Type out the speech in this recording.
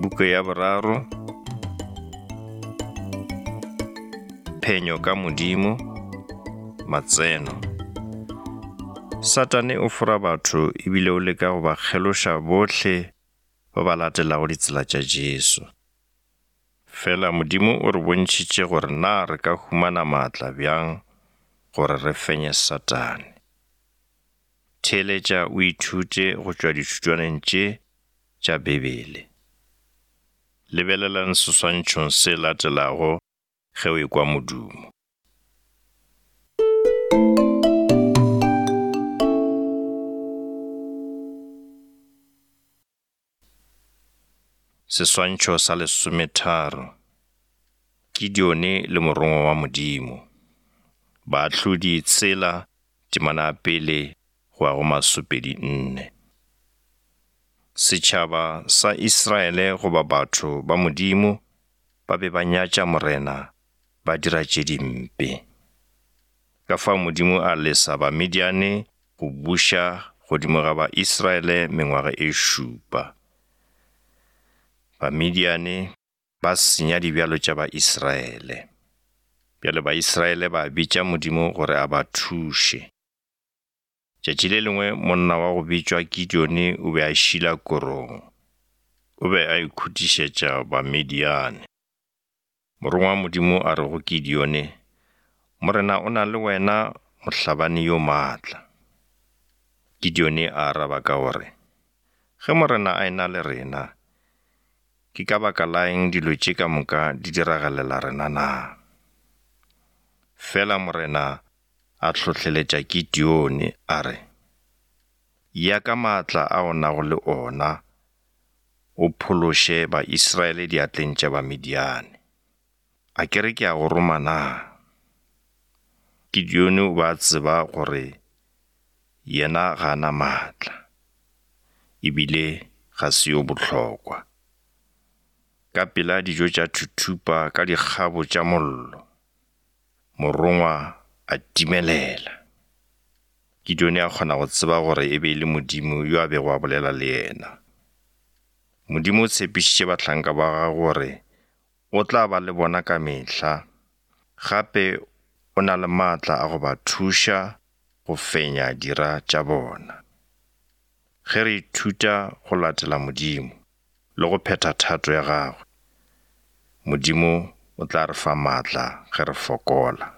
Buka ya boraro, Phenyo ka Modimo, Matseno. Satane o fora batho ebile o leka go ba kgeloša bohle ba ba latelago ditsela tša Jesu. Fela Modimo o re bontšhitše gore na re ka humana maatla bjang gore re fenye Satane. Theeletša o ithute go tšwa dithutwaneng tše tša Bibele. Lebelelang seswantšhong se latelago ge o ekwa modumo. Seswantšho sa lesometharo. Gideone le morongwa wa Modimo. Baahlodi tshela, temana ya pele go ya go masopedi nne. Setšhaba sa Israele goba batho ba Modimo ba be ba nyatša Morena ba dira tše dimpe. Ka fao Modimo a lesa Bamidiane go buša godimo ga ba-Israele mengwaga e šupa. Bamidiane ba senya dibjalo tša ba-Israele. Bjale ba-Israele ba bitša Modimo gore a ba thuše. Tšatši le lengwe monna wa go bitšwa Gideone o be a šila korong. O be a ikhutišetša Bamidiane. Morongwa wa Modimo a re go Gideone, Morena o na le wena, mohlabani yo maatla. Gideone a araba ka gore, Ge Morena a e-na le rena, ke ka baka la eng dilo tše ka moka di diragalela rena na? Fela Morena a hlohleletša Gideone a re, Ya ka maatla a o nago le ona, o phološe Baisraele diatleng tša Bamidiane. A ke re ke a go roma na? Gideone o be a tseba gore yena ga a na maatla, e bile ga se yo bohlokwa. Ka pela dijo tša thuthupa ka dikgabo tša mollo, morongwa a timelela. Gideone a kgona go tseba gore e be e le Modimo yo a bego a bolela le yena. Modimo o tshepišitše bahlanka ba gagwe gore o tla ba le bona ka mehla, gape o na le maatla a go ba thuša go fenya dira tša bona. Ge re ithuta go latela Modimo le go phetha thato ya gagwe, Modimo o tla re fa maatla ge re fokola.